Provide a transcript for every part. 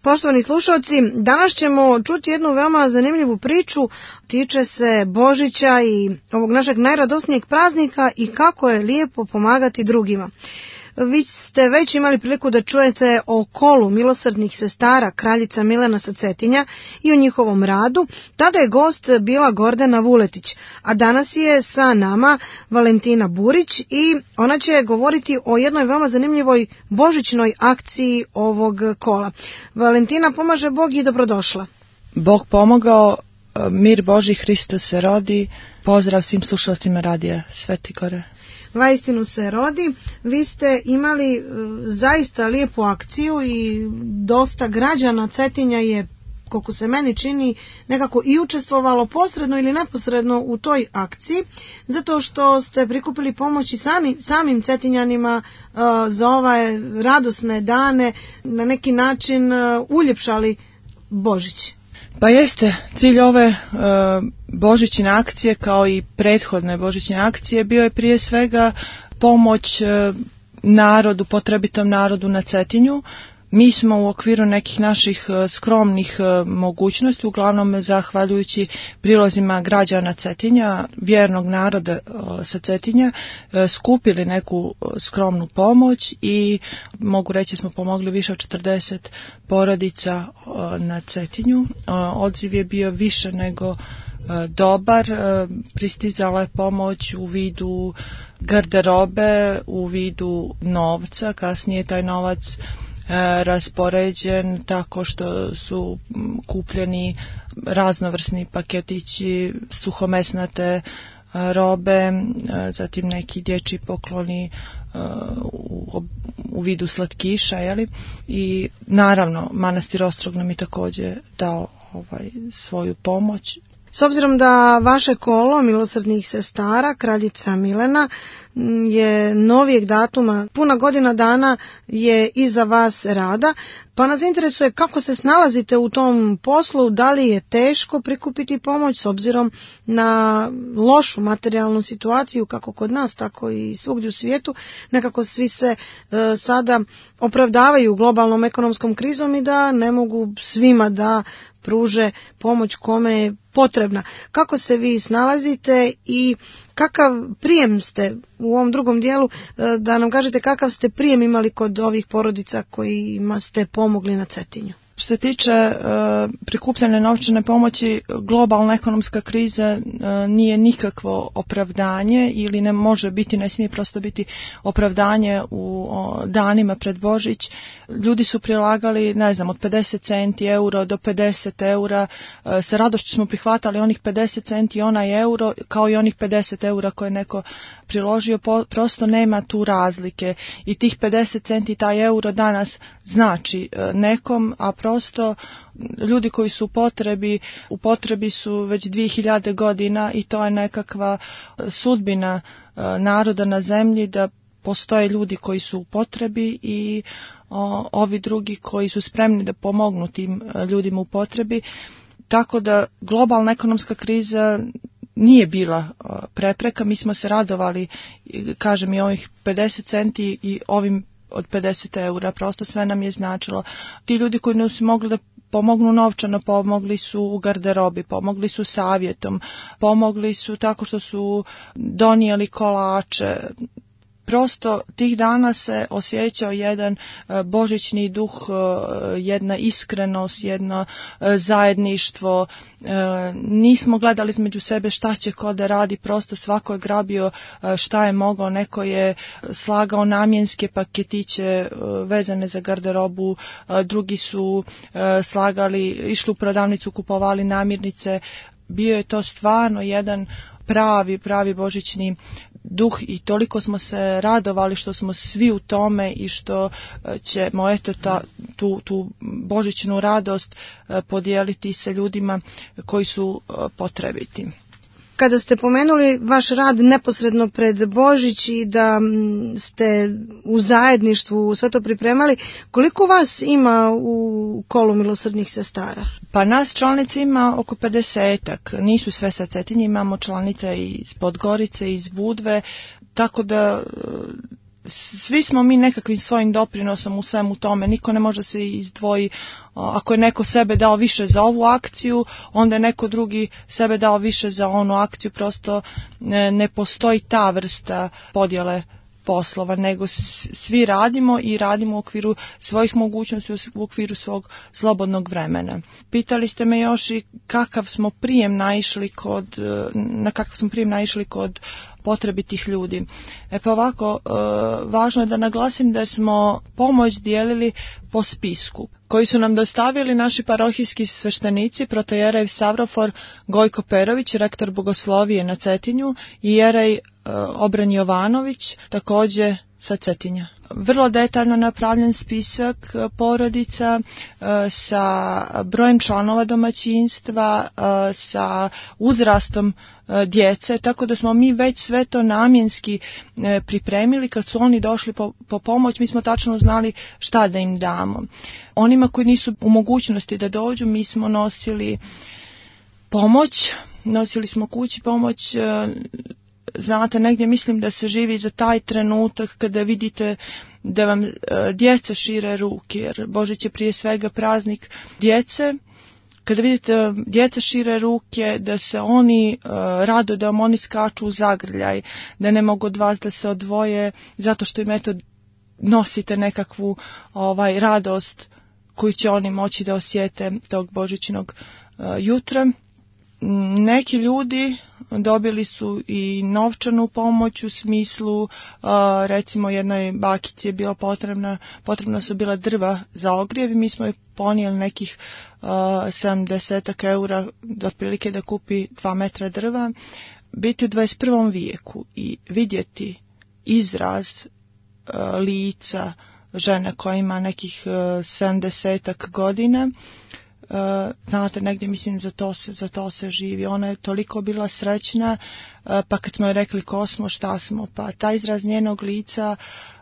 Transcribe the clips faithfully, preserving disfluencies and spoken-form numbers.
Poštovani slušalci, danas ćemo čuti jednu veoma zanimljivu priču, tiče se Božića i ovog našeg najradosnijeg praznika i kako je lijepo pomagati drugima. Vi ste već imali priliku da čujete o kolu milosrdnih sestara kraljica Milena sa Cetinja i o njihovom radu. Tada je gost bila Gordana Vuletić, a danas je sa nama Valentina Burić i ona će govoriti o jednoj veoma zanimljivoj božićnoj akciji ovog kola. Valentina, pomaže Bog i dobrodošla. Bog pomogao, mir Božji, Hristos se rodi. Pozdrav svim slušalcima radija Sveti Gore. Vaistinu se rodi. Vi ste imali zaista lijepu akciju i dosta građana Cetinja je, koliko se meni čini, nekako i učestvovalo posredno ili neposredno u toj akciji, zato što ste prikupili pomoć i sami, samim Cetinjanima uh, za ove radosne dane, na neki način uh, uljepšali Božić. Pa jeste, cilj ove e, božićne akcije kao i prethodne božićne akcije bio je prije svega pomoć e, narodu, potrebitom narodu na Cetinju. Mi smo u okviru nekih naših e, skromnih e, mogućnosti, uglavnom zahvaljujući prilozima građana Cetinja, vjernog naroda e, sa Cetinja, e, skupili neku skromnu pomoć i mogu reći smo pomogli više od četrdeset porodica e, na Cetinju. E, odziv je bio više nego e, dobar, e, pristizala je pomoć u vidu garderobe, u vidu novca, kasnije taj novac raspoređen tako što su kupljeni raznovrsni paketići suhomesnate robe, zatim neki dječji pokloni u, u vidu slatkiša, jeli? I naravno manastir Ostrog nam je također dao ovaj, svoju pomoć. S obzirom da vaše kolo milosrdnih sestara, kraljica Milena, je novijeg datuma, puna godina dana je iza vas rada, pa nas interesuje kako se snalazite u tom poslu, da li je teško prikupiti pomoć s obzirom na lošu materijalnu situaciju, kako kod nas, tako i svugdje u svijetu. Nekako svi se e, sada opravdavaju globalnom ekonomskom krizom i da ne mogu svima da pruže pomoć kome je potrebna. Kako se vi snalazite i kakav prijem ste u ovom drugom dijelu, da nam kažete kakav ste prijem imali kod ovih porodica kojima ste pomogli na Cetinju? Što se tiče e, prikupljene novčane pomoći, globalna ekonomska kriza e, nije nikakvo opravdanje ili ne može biti, ne smije prosto biti opravdanje u o, danima pred Božić. Ljudi su prilagali, ne znam, od pedeset centi euro do pedeset eura. E, sa radošću smo prihvatali onih pedeset centi i onaj euro, kao i onih pedeset eura koje neko priložio. Po, prosto nema tu razlike. I tih pedeset centi i taj euro danas znači e, nekom, a prosto ljudi koji su u potrebi, u potrebi su već dvije hiljade godina i to je nekakva sudbina naroda na zemlji, da postoje ljudi koji su u potrebi i o, ovi drugi koji su spremni da pomognu tim ljudima u potrebi. Tako da globalna ekonomska kriza nije bila prepreka, mi smo se radovali, kažem, i ovih pedeset centi i ovim od pedeset eura, prosto sve nam je značilo. Ti ljudi koji nisu mogli da pomognu novčano, pomogli su u garderobi, pomogli su savjetom, pomogli su tako što su donijeli kolače. Prosto tih dana se osjećao jedan božićni duh, jedna iskrenost, jedno zajedništvo. Nismo gledali između sebe šta će ko da radi, prosto svako je grabio šta je mogao, neko je slagao namjenske paketiće vezane za garderobu, drugi su slagali, išli u prodavnicu, kupovali namirnice. Bio je to stvarno jedan pravi, pravi božićni duh i toliko smo se radovali što smo svi u tome i što ćemo eto ta, tu, tu božićnu radost podijeliti sa ljudima koji su potrebiti. Kada ste pomenuli vaš rad neposredno pred Božić i da ste u zajedništvu sve to pripremali, koliko vas ima u kolu milosrdnih sestara? Pa nas članice ima oko pedesetak, nisu sve sa Cetinja, imamo članice iz Podgorice, iz Budve, tako da svi smo mi nekakvim svojim doprinosom u svemu tome, niko ne može se izdvoji. Ako je neko sebe dao više za ovu akciju, onda je neko drugi sebe dao više za onu akciju, prosto ne, ne postoji ta vrsta podjele poslova, nego svi radimo i radimo u okviru svojih mogućnosti, u okviru svog slobodnog vremena. Pitali ste me još i kakav smo prijem naišli kod, na kakav smo prijem naišli kod potrebitih ljudi. E pa ovako, e, važno je da naglasim da smo pomoć dijelili po spisku koji su nam dostavili naši parohijski sveštenici, protojerej Savrofor Gojko Perović, rektor bogoslovije na Cetinju, i jerej e, Obran Jovanović, također sa Cetinja. Vrlo detaljno napravljen spisak porodica e, sa brojem članova domaćinstva, e, sa uzrastom e, djece, tako da smo mi već sve to namjenski e, pripremili. Kad su oni došli po, po pomoć, mi smo tačno znali šta da im damo. Onima koji nisu u mogućnosti da dođu, mi smo nosili pomoć, nosili smo kući pomoć. e, Znate, negdje mislim da se živi za taj trenutak kada vidite da vam e, djeca šire ruke, jer Božić je prije svega praznik djece. Kada vidite djeca šire ruke, da se oni e, rado, da vam oni skaču u zagrljaj, da ne mogu od vas da se odvoje, zato što im eto nosite nekakvu ovaj radost koju će oni moći da osjete tog božićnog e, jutra. Neki ljudi dobili su i novčanu pomoć u smislu, uh, recimo jednoj bakici je bila potrebna, potrebno su bila drva za ogrjev i mi smo je ponijeli nekih uh, sedamdeset eura otprilike da kupi dva metra drva. Biti u dvadeset prvom vijeku i vidjeti izraz uh, lica žene koja ima nekih uh, sedamdesetak godina, Uh, znate, negdje mislim za to se, za to se živi. Ona je toliko bila srećna, uh, pa kad smo joj rekli ko smo, šta smo, pa taj izraz njenog lica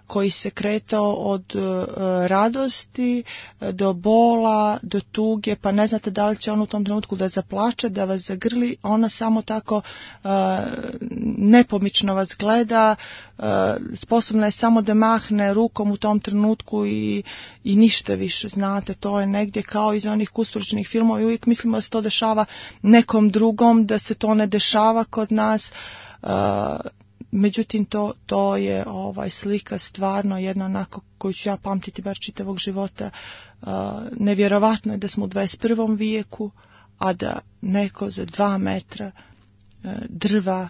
koji se kretao od uh, radosti do bola, do tuge, pa ne znate da li će on u tom trenutku da zaplače, da vas zagrli, ona samo tako uh, nepomično vas gleda, uh, sposobna je samo da mahne rukom u tom trenutku i, i ništa više, znate, to je negdje kao iz onih kustručnih filmova i uvijek mislimo da se to dešava nekom drugom, da se to ne dešava kod nas. uh, Međutim, to, to je ovaj slika stvarno jedna onako koju ću ja pamtiti bar čitavog života. Uh, nevjerovatno je da smo u dvadeset prvom vijeku, a da neko za dva metra uh, drva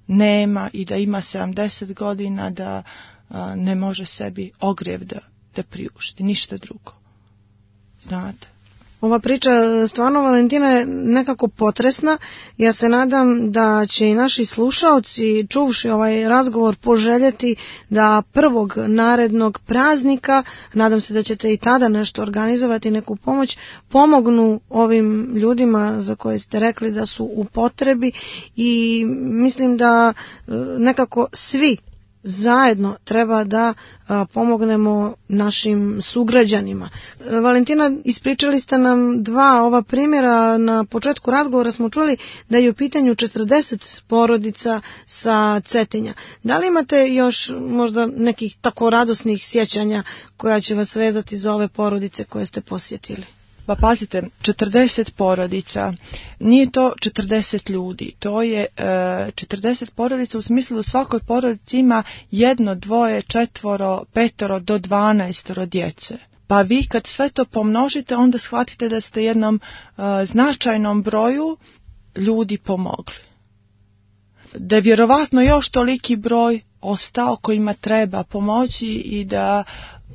nema i da ima sedamdeset godina, da uh, ne može sebi ogrjev da, da priušti, ništa drugo. Znate. Ova priča stvarno, Valentina, je nekako potresna. Ja se nadam da će i naši slušaoci, čuvši ovaj razgovor, poželjeti da prvog narednog praznika, nadam se da ćete i tada nešto organizovati, neku pomoć, pomognu ovim ljudima za koje ste rekli da su u potrebi i mislim da nekako svi zajedno treba da a, pomognemo našim sugrađanima. Valentina, ispričali ste nam dva ova primjera. Na početku razgovora smo čuli da je u pitanju četrdeset porodica sa Cetinja. Da li imate još možda nekih tako radosnih sjećanja koja će vas vezati za ove porodice koje ste posjetili? Pa pazite, četrdeset porodica, nije to četrdeset ljudi, to je e, četrdeset porodica u smislu da u svakoj porodici ima jedno, dvoje, četvoro, petoro do dvanaestoro djece. Pa vi kad sve to pomnožite, onda shvatite da ste jednom e, značajnom broju ljudi pomogli. Da je vjerovatno još toliki broj ostao kojima treba pomoći i da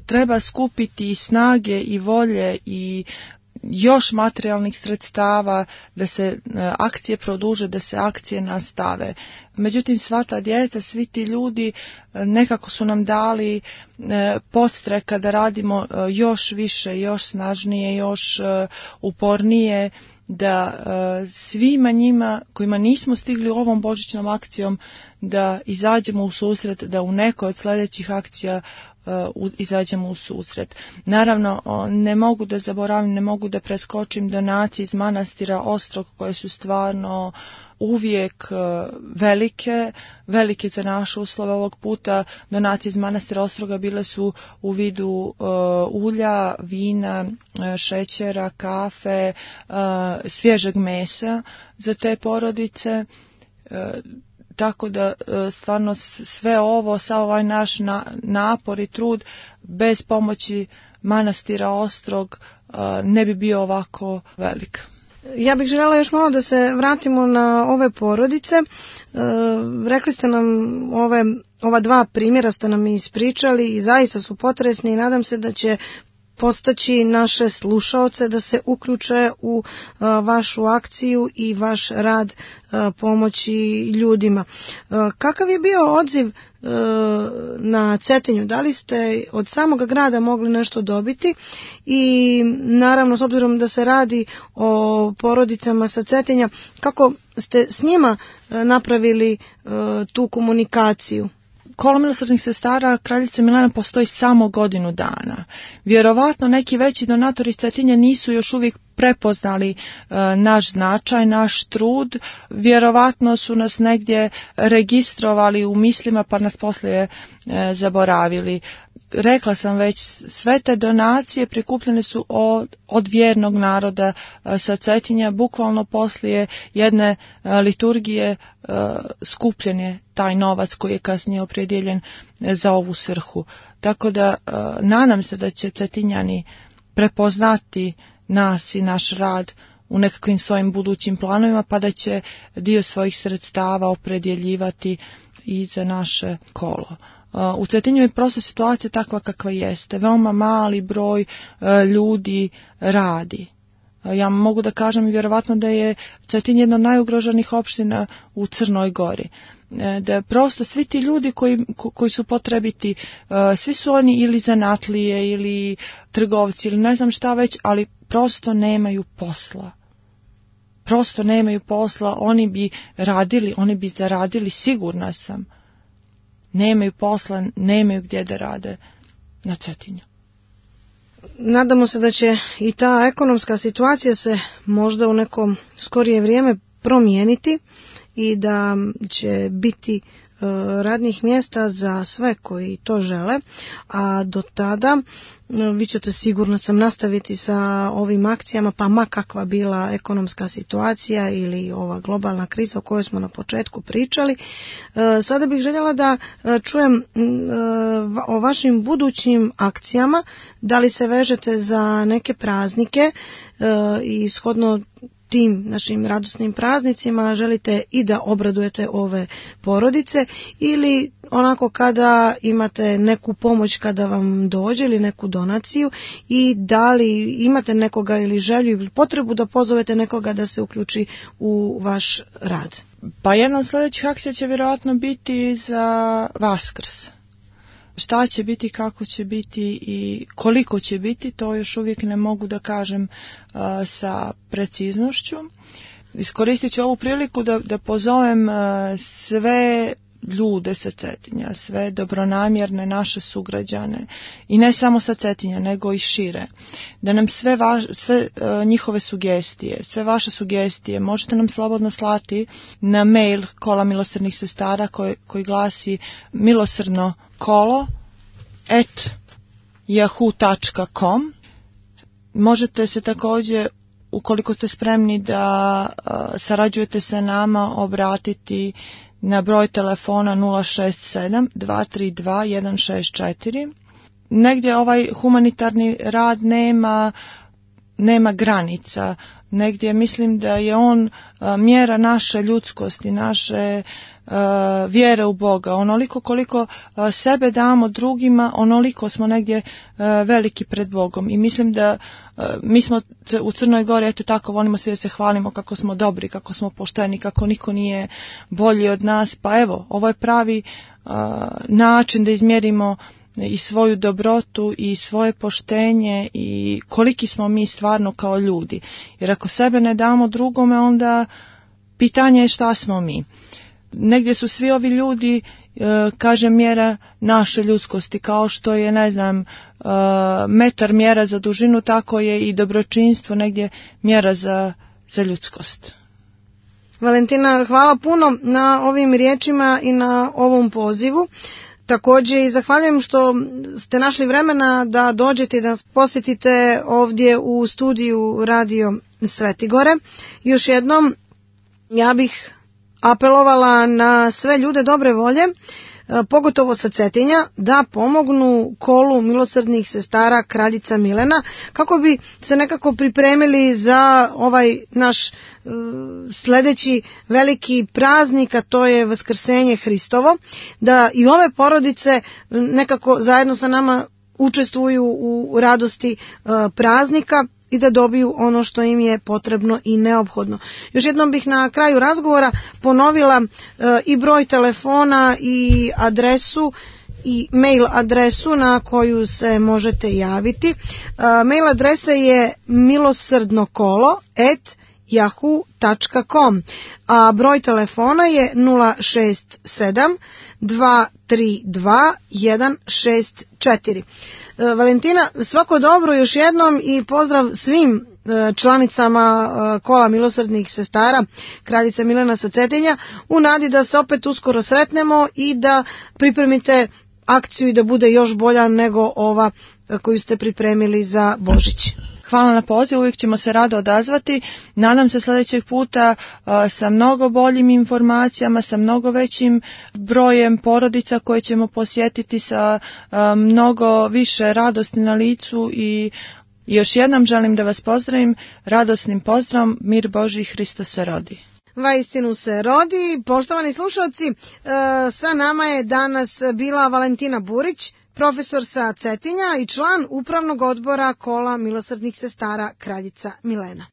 treba skupiti i snage i volje i još materijalnih sredstava da se akcije produže, da se akcije nastave. Međutim, sva ta djeca, svi ti ljudi nekako su nam dali podstreka da radimo još više, još snažnije, još upornije, da svima njima kojima nismo stigli ovom božićnom akcijom da izađemo u susret, da u nekoj od sljedećih akcija uh, izađemo u susret. Naravno, ne mogu da zaboravim, ne mogu da preskočim donacije iz manastira Ostrog koje su stvarno uvijek velike, velike za naše uslove. Ovog puta donacije iz manastira Ostroga bile su u vidu uh, ulja, vina, šećera, kafe, uh, svježeg mesa za te porodice. Uh, tako da uh, stvarno sve ovo, sav ovaj naš na, napor i trud bez pomoći manastira Ostrog uh, ne bi bio ovako velik. Ja bih željela još malo da se vratimo na ove porodice. E, rekli ste nam ove, ova dva primjera ste nam ispričali i zaista su potresni i nadam se da će postaći naše slušaoce da se uključe u a, vašu akciju i vaš rad a, pomoći ljudima. A, kakav je bio odziv a, na Cetinju? Da li ste od samog grada mogli nešto dobiti? I naravno, s obzirom da se radi o porodicama sa Cetinja, kako ste s njima a, napravili a, tu komunikaciju? Kolo milosrdnih sestara Kraljice Milena postoji samo godinu dana. Vjerovatno neki veći donatori iz Cetinja nisu još uvijek prepoznali e, naš značaj, naš trud. Vjerovatno su nas negdje registrovali u mislima pa nas poslije e, zaboravili. Rekla sam već, sve te donacije prikupljene su od, od vjernog naroda e, sa Cetinja. Bukvalno poslije jedne e, liturgije e, skupljen je taj novac koji je kasnije opredjeljen e, za ovu svrhu. Tako da e, nadam se da će Cetinjani prepoznati nas i naš rad u nekakvim svojim budućim planovima, pa da će dio svojih sredstava opredjeljivati i za naše kolo. U Cetinju je prosto situacija takva kakva jeste. Veoma mali broj ljudi radi. Ja mogu da kažem i vjerovatno da je Cetinj jedna od najugroženih opština u Crnoj Gori. Da prosto svi ti ljudi koji, koji su potrebiti, svi su oni ili zanatlije ili trgovci ili ne znam šta već, ali prosto nemaju posla. Prosto nemaju posla, oni bi radili, oni bi zaradili, sigurna sam. Nemaju posla, nemaju gdje da rade na Cetinju. Nadamo se da će i ta ekonomska situacija se možda u neko skorije vrijeme promijeniti i da će biti radnih mjesta za sve koji to žele, a do tada vi ćete sigurno sam nastaviti sa ovim akcijama, pa ma kakva bila ekonomska situacija ili ova globalna kriza o kojoj smo na početku pričali. Sada bih željela da čujem o vašim budućim akcijama, da li se vežete za neke praznike i shodno tim našim radosnim praznicima želite i da obradujete ove porodice ili onako kada imate neku pomoć kada vam dođe ili neku donaciju i da li imate nekoga ili želju ili potrebu da pozovete nekoga da se uključi u vaš rad. Pa jedna od sljedećih akcija će vjerojatno biti za Vaskrs. Šta će biti, kako će biti i koliko će biti, to još uvijek ne mogu da kažem uh, sa preciznošću. Iskoristit ću ovu priliku da, da pozovem uh, sve ljude sa Cetinja, sve dobronamjerne naše sugrađane i ne samo sa Cetinja nego i šire, da nam sve, vaš, sve uh, njihove sugestije, sve vaše sugestije možete nam slobodno slati na mail Kola milosrdnih sestara koji, koji glasi milosrdno kolo at yahoo dot com. Možete se također, ukoliko ste spremni da uh, sarađujete sa nama, obratiti na broj telefona nula šest sedam dva tri dva jedan šest četiri. Negdje ovaj humanitarni rad nema, nema granica. Negdje mislim da je on uh, mjera naše ljudskosti, naše uh, vjere u Boga. Onoliko koliko uh, sebe damo drugima, onoliko smo negdje uh, veliki pred Bogom. I mislim da uh, mi smo u Crnoj Gori, eto tako, volimo svi da se hvalimo kako smo dobri, kako smo pošteni, kako niko nije bolji od nas. Pa evo, ovo je pravi uh, način da izmjerimo i svoju dobrotu i svoje poštenje i koliki smo mi stvarno kao ljudi. Jer ako sebe ne damo drugome, onda pitanje je šta smo mi. Negdje su svi ovi ljudi kaže mjera naše ljudskosti, kao što je, ne znam, metar mjera za dužinu, tako je i dobročinstvo negdje mjera za, za ljudskost. Valentina, hvala puno na ovim riječima i na ovom pozivu. Također i zahvaljujem što ste našli vremena da dođete i da posjetite ovdje u studiju Radio Svetigore. Još jednom ja bih apelovala na sve ljude dobre volje, pogotovo sa Cetinja, da pomognu kolu milosrdnih sestara Kraljica Milena, kako bi se nekako pripremili za ovaj naš uh, sljedeći veliki praznik, a to je Vaskrsenje Hristovo, da i ove porodice nekako zajedno sa nama učestvuju u radosti uh, praznika i da dobiju ono što im je potrebno i neophodno. Još jednom bih na kraju razgovora ponovila e, i broj telefona i adresu i mail adresu na koju se možete javiti. E, mail adresa je milosrdnokolo at yahoo tačka com, a broj telefona je nula šest sedam dva tri dva jedan šest četiri. Valentina, svako dobro još jednom i pozdrav svim članicama kola milosrdnih sestara Kraljica Milena sa Cetinja, u nadi da se opet uskoro sretnemo i da pripremite akciju i da bude još bolja nego ova koju ste pripremili za Božić. Hvala na poziv, uvijek ćemo se rado odazvati. Nadam se sljedećeg puta uh, sa mnogo boljim informacijama, sa mnogo većim brojem porodica koje ćemo posjetiti, sa uh, mnogo više radosti na licu i još jednom želim da vas pozdravim radosnim pozdravom, mir Božji, Hristos se rodi. Vaistinu se rodi. Poštovani slušalci, sa nama je danas bila Valentina Burić, profesor sa Cetinja i član upravnog odbora kola milosrdnih sestara Kraljica Milena.